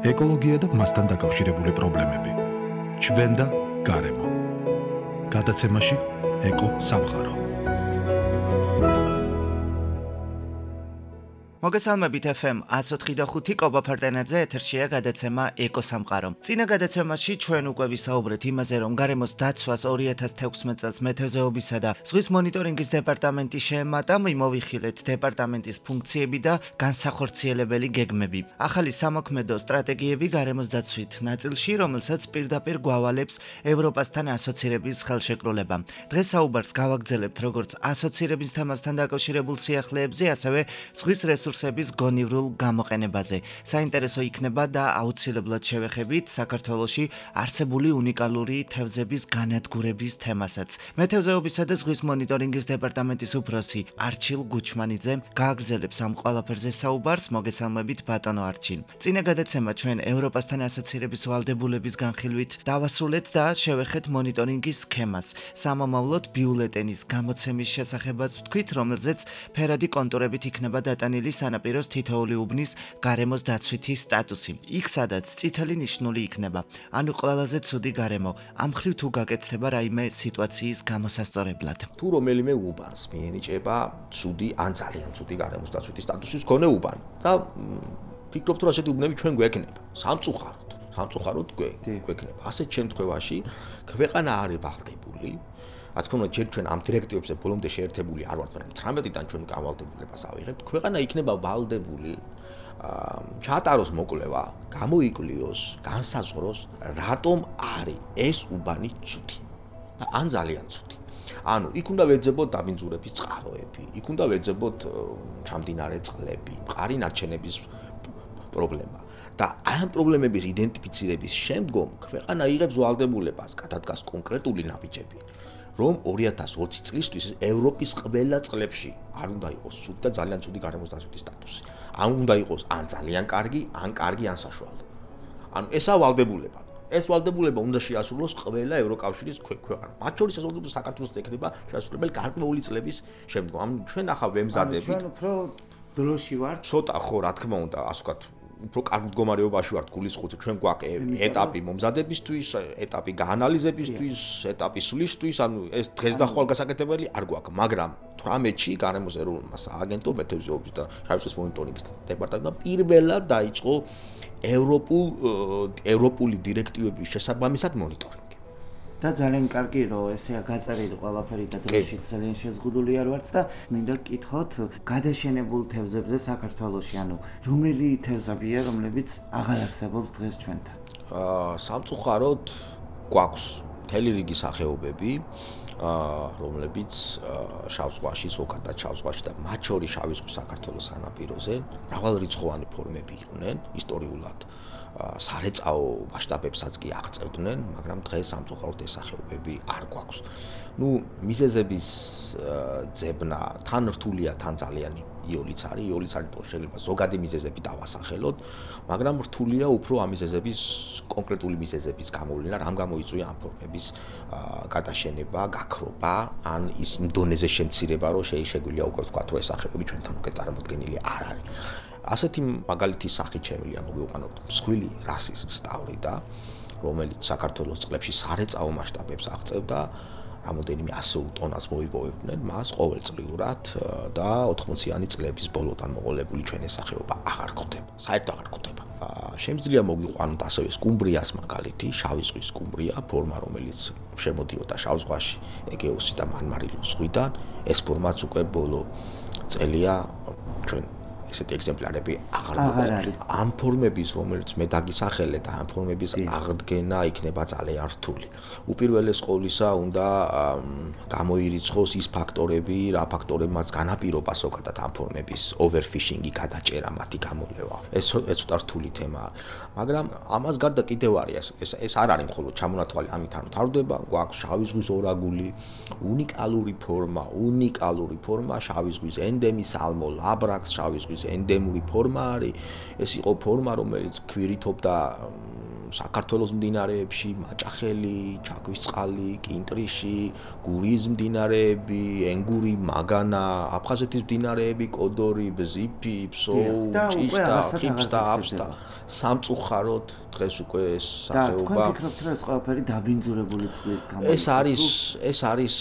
ეკოლოგია და მასთან დაკავშირებული პრობლემები. ჩვენ და გარემო. გადაცემაში ეკო სამყარო. მოგესალმებით FM 104.5 კობა ფარტენაძე ეთერშია გადაცემა ეკო სამყარო. წინა გადაცემაში ჩვენ უკვე ვისაუბრეთ იმაზე, რომ გარემოს დაცვას 2016 წელს მეთევზეობისა და ზღვის მონიტორინგის დეპარტამენტი შეემატა, მოვიხილეთ დეპარტამენტის ფუნქციები და განსახორციელებელი გეგმები. ახალი სამოქმედო სტრატეგიები გარემოს დაცვით ნაწილში, რომელსაც პირდაპირ გვავალებს ევროპასთან ასოცირების ხელშეკრულება. დღეს საუბარს გავაგრძელებთ როგორც ასოცირების თემასთან დაკავშირებულ სიახლეებზე, ასევე ზღვის რესურსების გონივრულ გამოყენებაზე. საინტერესო იქნება და აუცილებლად შევეხებით საქართველოში არსებული უნიკალური თევზების განადგურების თემასაც. მეთევზეობისა და ზღვის მონიტორინგის დეპარტამენტის უფროსი არჩილ გუჩმანიძე გააგრძელებს ამ ყველაფერზე საუბარს. მოგესალმებით ბატონო არჩილ. წინა გადაცემა ჩვენ ევროპასთან ასოცირების ვალდებულების განხილვით დავასრულეთ და შევეხეთ მონიტორინგის სქემას. სამომავლოდ ბიულეტენის გამოცემის შესახებაც ვთქვით, რომელზეც ფერადი კონტურებით იქნება დატანილი სანაპიროს თითოეული უბნის გარემოს დაცვითი სტატუსი. იქ სადაც წითელი ნიშნული იქნება. ანუ ყველაზე ცუდი გარემო. ამ მხრივ თუ გაკეთდება რაიმე სიტუაციის გამოსასწორებლად. თუ რომელიმე უბანს მიენიჭება ცუდი ან ძალიან ცუდი გარემოს დაცვითი სტატუსის მქონე უბანი და ფიქრობთ რომ ასეთი უბნები ჩვენ გვექნება. სამწუხაროდ გვექნება. ასეთ შემთხვევაში ქვეყანა არის ვალდებული. რაც თქმა უნდა, ჯერ ჩვენ ამ დირექტივებზე ბოლომდე შეერთებული არ ვართ, მაგრამ 19-დან ჩვენ გავალდებულებას ავიღებთ. ქვეყანა იქნება ვალდებული ჩაატაროს მოკვლევა, გამოიკვლიოს, განსაზღვროს, რატომ არის ეს უბანი ცუდი. ან ძალიან ცუდი. ანუ იქ უნდა ვეძებოთ დაბინძურების წყაროები, იქ უნდა ვეძებოთ ჩამდინარე წყლები, მყარი ნარჩენების პრობლემა. და ამ პრობლემების იდენტიფიცირების შემდგომ ქვეყანა იღებს ვალდებულებას, გადადგას კონკრეტული ნაბიჯები. რომ 2020 წლისთვის ევროპის ყველა წყლებში არ უნდა იყოს ცუდი და ძალიან ცუდი გარემოს დაცვითი სტატუსი. ან უნდა იყოს ან ძალიან კარგი, ან კარგი, ან საშუალო. ანუ ესა ვალდებულება. ეს ვალდებულება უნდა შეასრულოს ყველა ევროკავშირის ქვეყანა. მათ შორის ეს ვალდებულება საქართველოს ექნება შეასრულებელი გარკვეული წლების შემდგომ. ანუ ჩვენ ახლა ვემზადებით. ჩვენ უფრო დროში ვართ. ცოტა ხო, რა თქმა უნდა, ასე ვთქვათ, უფრო კარგ მდგომარეობაში ვართ გულისხმობთ, ჩვენ გვაქვს ეტაპი მომზადებისთვის, ეტაპი გაანალიზებისთვის, ეტაპი სვლისთვის, ანუ ეს დღეს და ხვალ გასაკეთებელი არ გვაქვს, მაგრამ 18-ში გარემოს ეროვნულმა სააგენტომ მეთევზეობის და შავიზღვის მონიტორინგის დეპარტამენტმა პირველად დაიწყო ევროპული დირექტივების შესაბამისად მონიტორინგი. და ძალიან კარგი რომ ესეა გაწერილი ყველაფერი და დროშიც ძალიან შეზღუდული არ ვართ და მინდა გკითხოთ გადაშენებულ თევზებზე საქართველოში, ანუ რომელი თევზებია, რომლებიც აღარ არსებობს დღეს ჩვენთან? სამწუხაროდ გვაქვს მთელი რიგი სახეობები, რომლებიც შავ ზღვაში, ზოგადად შავ ზღვაში და მათ შორის შავი ზღვის საქართველოს სანაპიროზე მრავალრიცხოვანი ფორმები იყვნენ ისტორიულად. სარეწაო მასშტაბებსაც კი აღწევდნენ, მაგრამ დღეს სამწუხაროდ ეს სახეობები არ გვაქვს. მიზეზების ძებნა თან რთულია, თან ძალიან იოლიც არის. იოლიც არის, შეიძლება ზოგადი მიზეზები დავასახელოთ, მაგრამ რთულია უფრო ამ მიზეზების კონკრეტული მიზეზების გამოვლენა, რამ გამოიწვია ამ ფორმების გადაშენება, გაქრობა, ან ის იმ დონეზე შემცირება, რომ შეგვიძლია უკვე ვთქვათ, რომ ეს სახეობები ჩვენთან უკვე წარმოდგენილი არ არის. ასეთი მაგალითის სახით შემიძლია მოვიყვანოთ მსხვილი რასის სტავრიდა, რომელიც საქართველოს წყლებში სარეწაო მასშტაბებს აღწევდა, რამოდენიმე 100 ტონას მოიპოვებდნენ მას ყოველწლიურად და 80-იანი წლების ბოლოდან მოყოლებული ჩვენ ეს სახეობა აღარ გვხვდება, საერთოდ აღარ გვხვდება. შემიძლია მოვიყვანოთ ასევე სკუმბრიას მაგალითი, შავი ზღვის სკუმბრია, ფორმა რომელიც შემოდიოდა შავ ზღვაში, ეგეოსი და მარმარილოს ზღვიდან, ეს ფორმაც უკვე ბოლო წელია ჩვენ ესეთი ეგზემპლარები აღარ არის. ამ ფორმების, რომელიც მე დაგისახელე და ამ ფორმების აღდგენა იქნება ძალიან რთული. უპირველეს ყოვლისა უნდა გამოირიცხოს ის ფაქტორები, რა ფაქტორებმაც განაპირობა ზოგადად ამ ფორმების overfishing-ი, გადაჭერა, მათი გამოვლევა. ეს ცოტა რთული თემაა. მაგრამ ამას გარდა კიდევ არის ეს არ არის მხოლოდ ჩამონათვალი ამით არ მთავრდება, გვაქვს შავი ზღვის ორაგული, უნიკალური ფორმა, შავი ზღვის ენდემი, სალმო ლაბრაქს, შავი ზღვის ენდემური ფორმა არის. ეს იყო ფორმა, რომელიც ქვირითობდა საქართველოს მდინარეებში მაჭახელი, ჩაქვისწყალი, კინტრიში, გურიის მდინარეები, ენგური, მაგანა, აფხაზეთის მდინარეები, კოდორი, ბზიფი, ფსო, ჭიშტა, ხიფსტა, აფსტა. სამწუხაროდ დღეს უკვე ეს სახეობა. თქვენ ფიქრობთ, რომ ეს ყველაფერი დაბინძურებული წყლის გამო? ეს არის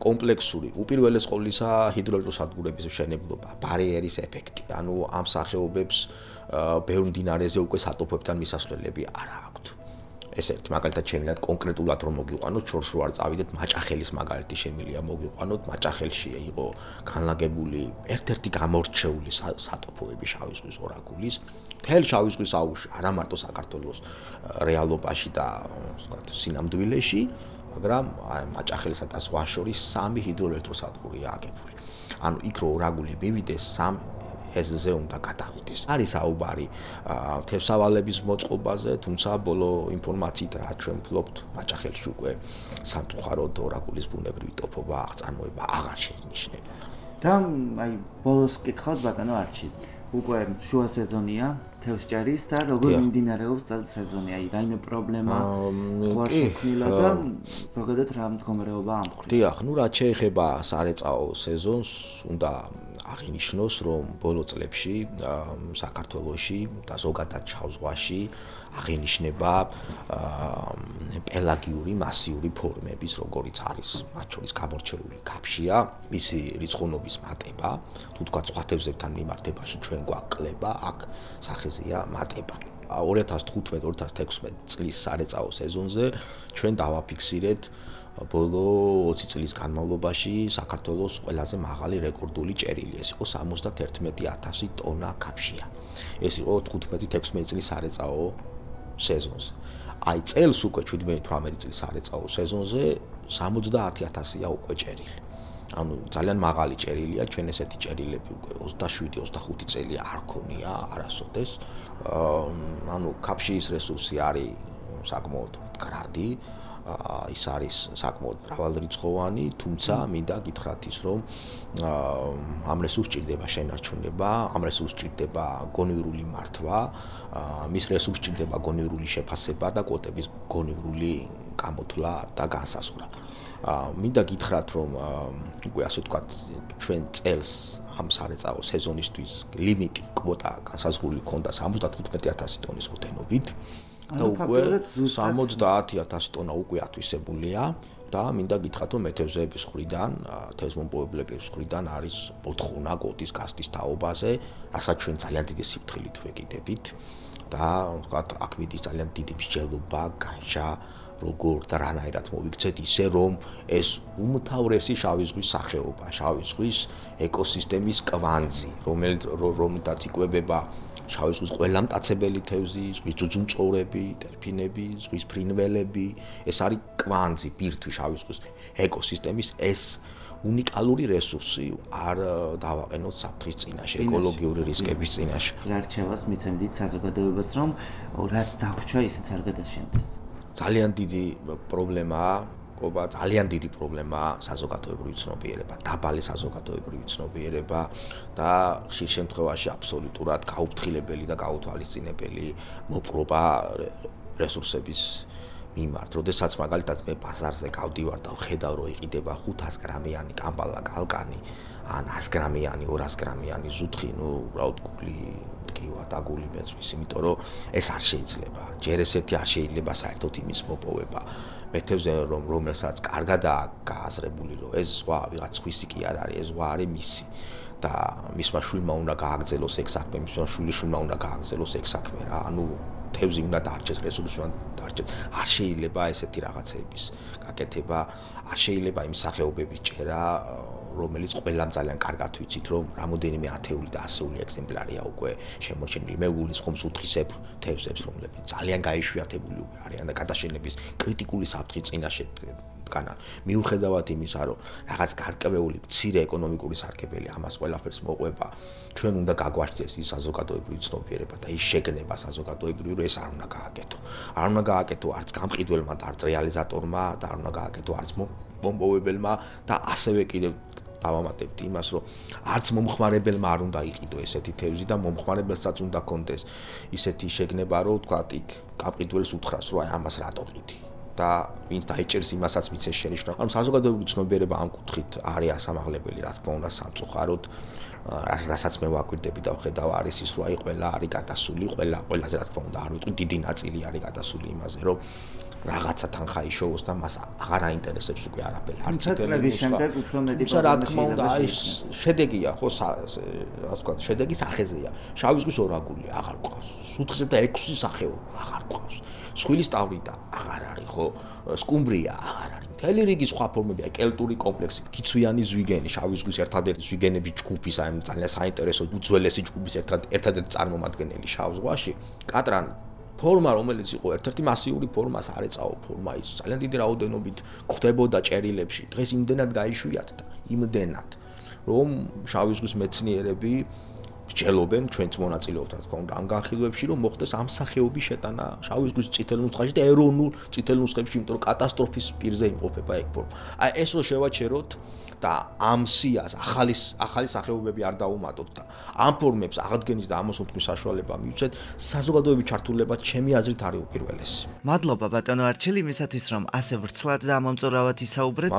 კომპლექსური. უპირველეს ყოვლისა ჰიდროელექტროსადგურების მშენებლობა, ბარიერის ეფექტი. ანუ ამ სახეობებს ბევრ მდინარეზე უკვე სატოფებთან მისასვლელები არ აქვთ. ეს ერთი მაგალითად შემიძლია კონკრეტულად რომ მოგიყვანოთ, შორს რო არ წავიდეთ, მაჭახელის მაგალითი შემიძლია მოგიყვანოთ, მაჭახელში იყო განლაგებული ერთ-ერთი გამორჩეული სატოფოები შავი ზღვის ორაგულის. მთელ შავი ზღვის აუზში, არა მარტო საქართველოს რეალობაში და სინამდვილეში, მაგრამ მაჭახელსა და ზღვას შორის 3 ჰიდროელექტროსადგურია აგებული. ანუ იქ რო ორაგული მივიდეს 3 ეზზე უნდა გადავიდეს. არის საუბარი თევსავალების მოწყობაზე, თუმცა ბოლო ინფორმაციით რა ჩვენ ვფლობთ, მაჭახელში უკვე სამწუხაროდ ორაგულის ბუნებრივი ტოფობა აღწარმოება აღარ შეინიშნება. და აი ბოლოს ვკითხავთ ბატონო არჩი. უკვე შუა სეზონია თევზჭერის და როგორ მიმდინარეობს წელს სეზონი? აი რაიმე პრობლემა ხوار შექმნილა და ზოგადად რა მდგომარეობა ამ მხრივ? დიახ, ნუ რაც შეეხება სარეწაო სეზონს, უნდა აღინიშნოს, რომ ბოლო წლებში საქართველოში და ზოგადად შავ ზღვაში აღინიშნება პელაგიური მასიური ფორმების, როგორიც არის მათ შორის გამორჩეული კაფშია, მისი რიცხოვნობის მატება, თუ თქვა სხვა თევზებთან მიმართებაში ჩვენ გვაკლება, აქ სახეზეა მატება. 2015-2016 წლის სარეწაო სეზონზე ჩვენ დავაფიქსირეთ ბოლო 20 წლის განმავლობაში საქართველოს ყველაზე მაღალი რეკორდული ჭერილი. ეს იყო 71,000 ტონა კაფშია. ეს იყო 15-16 წლის სარეწაო სეზონზე. აი წელს უკვე 17-18 წლის სარეწაო სეზონზე 70,000-ია უკვე ჭერილი. ანუ ძალიან მაღალი ჭერილია, ჩვენ ესეთი ჭერილები უკვე 27-25 წელი არ ქონია არასოდეს. ანუ კაფშიის რესურსი არის საკმაოდ მდგრადი. ის არის საკმაოდ მრავალრიცხოვანი, თუმცა მინდა გითხრათ ის, რომ ამ რესურსს ჭირდება შენარჩუნება, ამ რესურსს ჭირდება გონივრული მართვა, მის რესურსს ჭირდება გონივრული შეფასება და კვოტების გონივრული გამოთვლა და განსაზღვრა. მინდა გითხრათ, რომ უკვე ასე ვთქვათ, ჩვენ წელს ამ სარეწაო სეზონისთვის ლიმიტი კვოტა განსაზღვრული ქონდა 75,000 ტონის ოდენობით. და უკვე 70,000 ტონა უკვე ათვისებულია და მინდა გითხრათ, რომ მეთევზეების მხრიდან, თევზმომპოვებლების მხრიდან არის მოთხოვნა კვოტის გასვლის თაობაზე, რასაც ჩვენ ძალიან დიდი სიფრთხილით ვეკიდებით და ვთქვათ, აქ მიდის ძალიან დიდი მსჯელობა, განშა, როგორ და რანაირად მოვიქცეთ ისე, რომ ეს უმთავრესი შავი ზღვის სახეობა, შავი ზღვის ეკოსისტემის კვანძი, რომელთაც იკვებება შავი ზღვის ყველა მტაცებელი თევზი, ზღვის ძუძუმწოვრები, დელფინები, ზღვის ფრინველები, ეს არის კვანძი, ბირთვი შავი ზღვის ეკოსისტემის, ეს უნიკალური რესურსი არ დავაყენოთ საფრთხის წინაშე, ეკოლოგიური რისკების წინაშე. რა რჩევას მიცემდით საზოგადოებას, რომ რაც დაგვრჩა, ისიც არ გადაშენდეს? ძალიან დიდი პრობლემაა, ძალიან დიდი პრობლემაა საზოგადოებრივი ცნობიერება, დაბალი საზოგადოებრივი ცნობიერება და ხშირ შემთხვევაში აბსოლუტურად გაუფრთხილებელი და გაუთვალისწინებელი მოპყრობა რესურსების მიმართ. როდესაც მაგალითად მე ბაზარზე გავდივარ და ვხედავ, რომ იყიდება 500 გრამიანი კამბალა კალკანი, ან 100 გრამიანი, 200 გრამიანი ზუთხი, ნუ უბრალოდ გული ტკივა და გული მეწვის, იმიტომ რომ ეს არ შეიძლება. ჯერ ესეთი არ შეიძლება საერთოდ იმის მოპოვება. მეთევზე რომელსაც კარგადაა გააზრებული, რომ ეს ზღვა ვიღაც სხვისი კი არ არის, ეს ზღვა არის მისი და მისმა შვილმა უნდა გააგრძელოს ეგ საქმე, მისმა შვილიშვილმა უნდა გააგრძელოს ეგ საქმე რა. ანუ თევზი უნდა დარჩეს, რესურსი უნდა დარჩეს. არ შეიძლება ესეთი რაღაცების გაკეთება, არ შეიძლება იმ სახეობების ჭერა, რომელიც ყველამ ძალიან კარგად ვიცით, რომ რამოდენიმე ათეული და ასეული ეგზემპლარია უკვე შემორჩენილი. მე გულისხმობს უთხისებრ თევზებს, რომლებიც ძალიან გაიშვიათებული უკვე არიან და გადაშენების კრიტიკული საფრთხის წინაშე დგანან. მიუხედავად იმისა, რომ რაღაც გარკვეული მცირე ეკონომიკური სარგებელი ამას ყველაფერს მოყვება, ჩვენ უნდა გაგვაშდეს ის საზოგადოებრივი ცნობიერება და ის შეგნება საზოგადოებრივი, რომ ეს არ უნდა გააკეთო. არ უნდა გააკეთო არც გამყიდველმა და არც რეალიზატორმა და არ უნდა გააკეთო არც მომპოვებელმა და ასევე კიდევ დავამატებთ იმას, რომ არც მომხმარებელმა არ უნდა იყიდო ესეთი თევზი და მომხმარებელსაც უნდა კონდეს ისეთი შეგნება, რომ ვთქვათ, იქ კაპყიდველს უთხრას, რომ აი ამას რატო ყიდი და ვინც დაიჭერს იმასაც მიცეს შენიშვნა. ანუ საზოგადოებრივი ცნობიერება ამ კუთხით არის ასამაღლებელი, რა თქმა უნდა, სამწუხაროდ რასაც მე ვაკვირდები და ვხედავ არის ის, რომ აი ყველა არის გადასული, ყველაზე რა თქმა უნდა არ ვიტყვი, დიდი ნაწილი არის გადასული იმაზე, რომ რაღაცა თანხა იშოვოს და მას აღარ აინტერესებს უკვე არაფერი. არც წლების შემდეგ უფრო მეტი პრობლემა. რა თქმა უნდა, აი შედეგია, ხო, ასე ვთქვათ, შედეგი სახეზეა. შავი ზღვის ორაგული აღარ ყავს. სუთხზე და 6 სახეობა აღარ ყავს. სხვილის ტავრი და აღარ არის, ხო, სკუმბრია აღარ არის. მთელი რიგი სხვა ფორმებია, კელტური კომპლექსი, კიცვიანი ზვიგენი, შავი ზღვის ერთადერთი ზვიგენების ჯგუფის, აი ძალიან საინტერესო უძველესი ჯგუფის ერთადერთი წარმომადგენელი შავ ზღვაში, კატრანი ფორმა, რომელიც იყო ერთ-ერთი მასიური ფორმა, სარეწაო ფორმა, ის ძალიან დიდი რაოდენობით გვხვდებოდა ჭერილებში. დღეს იმდენად გაიშვიათ და იმდენად, რომ შავი ზღვის მეცნიერები სჯელობენ, ჩვენც მონაწილეობთ, რა თქმა უნდა, ამ განხილვებში, რომ მოხდეს ამ სახეობის შეტანა შავი ზღვის წითელ ნუსხაში და ეროვნულ წითელ ნუსხებში, იმიტომ რომ კატასტროფის პირზე იმყოფება ეგ ფორმა. აი ეს რო შევაჩეროთ და ამ სიას ახალი სახეობები არ დაუმატოთ და ამ ფორმებს აღდგენის და ამოსუნთქვის საშუალება მივცეთ, საზოგადოების ჩართულება ჩემი აზრით არის უპირველესი. მადლობა ბატონო არჩილი იმისათვის რომ ასე ვრცლად და ამომწურავად ისაუბრეთ.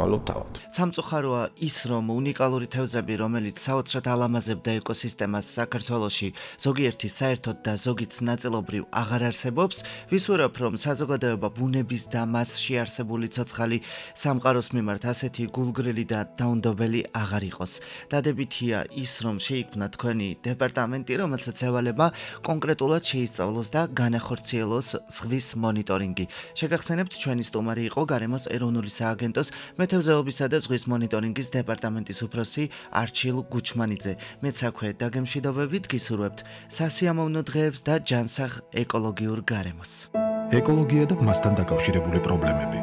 მალობ თავად. სამწუხაროა ის რომ უნიკალური თევზები რომელიც საოცრად ალამაზებდა ეკოსისტემას საქართველოში ზოგიერთი საერთოდ და ზოგიც ნაწილობრივ აღარ არსებობს, ვისურვებ რომ საზოგადოება ბუნების და მასში არსებული ცოცხალი სამყაროს მიმართ ასეთი გულგრილი და დაუნდობელი აღარ იყოს. დადებითია ის რომ შეიქმნა თქვენი დეპარტამენტი, რომელსაც ევალება კონკრეტულად შეისწავლოს და განახორციელოს ზღვის მონიტორინგი. შეგახსენებთ, ჩვენი სტუმარი იყო გარემოს ეროვნული სააგენტოს მეთევზეობისა და ზღვის მონიტორინგის დეპარტამენტის უფროსი არჩილ გუჩმანიძე. მეც აქვე დაგემშვიდობებით გისურვებთ სასიამოვნო დღეებს და ჯანსაღ ეკოლოგიურ გარემოს. ეკოლოგია და მასთან დაკავშირებული პრობლემები.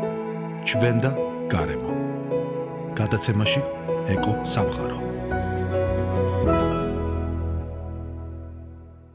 ჩვენ და გარემო. გადაცემაში ეკო სამყარო.